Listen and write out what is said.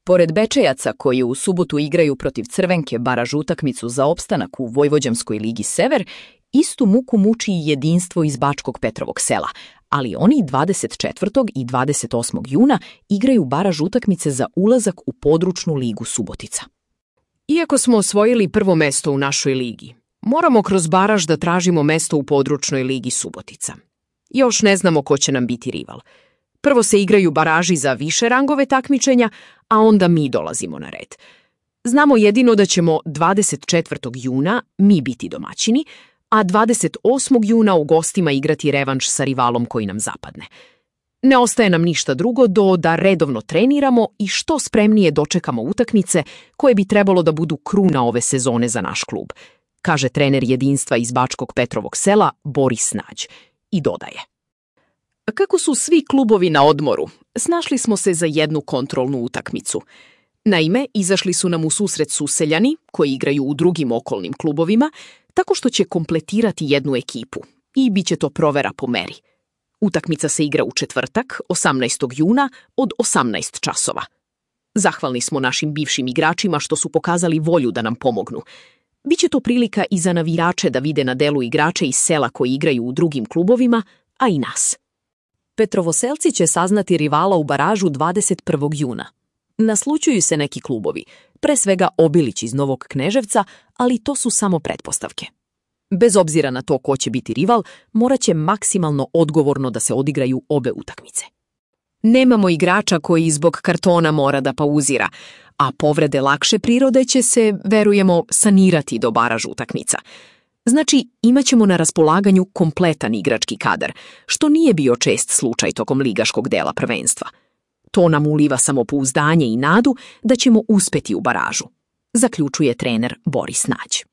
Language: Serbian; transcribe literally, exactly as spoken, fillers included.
Pored Bečejaca koji u subotu igraju protiv Crvenke baraž utakmicu za opstanak u Vojvođanskoj ligi Sever, istu muku muči i Jedinstvo iz Bačkog Petrovog Sela, ali oni dvadeset četvrtog i dvadeset osmog juna igraju baraž utakmice za ulazak u područnu ligu Subotica. Iako smo osvojili prvo mesto u našoj ligi, moramo kroz baraž da tražimo mesto u područnoj ligi Subotica. Još ne znamo ko će nam biti rival. Prvo se igraju baraži za više rangove takmičenja, a onda mi dolazimo na red. Znamo jedino da ćemo dvadeset četvrtog juna mi biti domaćini, a dvadeset osmog juna u gostima igrati revanš sa rivalom koji nam zapadne. Ne ostaje nam ništa drugo do da redovno treniramo i što spremnije dočekamo utakmice koje bi trebalo da budu kruna ove sezone za naš klub, kaže trener Jedinstva iz Bačkog Petrovog Sela Boris Nađ i dodaje. Kako su svi klubovi na odmoru, snašli smo se za jednu kontrolnu utakmicu. Naime, izašli su nam u susret Suseljani, koji igraju u drugim okolnim klubovima, tako što će kompletirati jednu ekipu i bit će to provera po meri. Utakmica se igra u četvrtak, osamnaestog juna, od osamnaest časova. Zahvalni smo našim bivšim igračima što su pokazali volju da nam pomognu. Biće to prilika i za navijače da vide na delu igrače iz sela koji igraju u drugim klubovima, a i nas. Petrovoselci će saznati rivala u baražu dvadeset prvog juna. Naslućuju se neki klubovi, pre svega Obilić iz Novog Kneževca, ali to su samo pretpostavke. Bez obzira na to ko će biti rival, morat će maksimalno odgovorno da se odigraju obe utakmice. Nemamo igrača koji zbog kartona mora da pauzira, a povrede lakše prirode će se, verujemo, sanirati do baraž utakmica. Znači, imaćemo na raspolaganju kompletan igrački kadar, što nije bio čest slučaj tokom ligaškog dela prvenstva. To nam uliva samopouzdanje i nadu da ćemo uspeti u baražu, zaključuje trener Boris Nađ.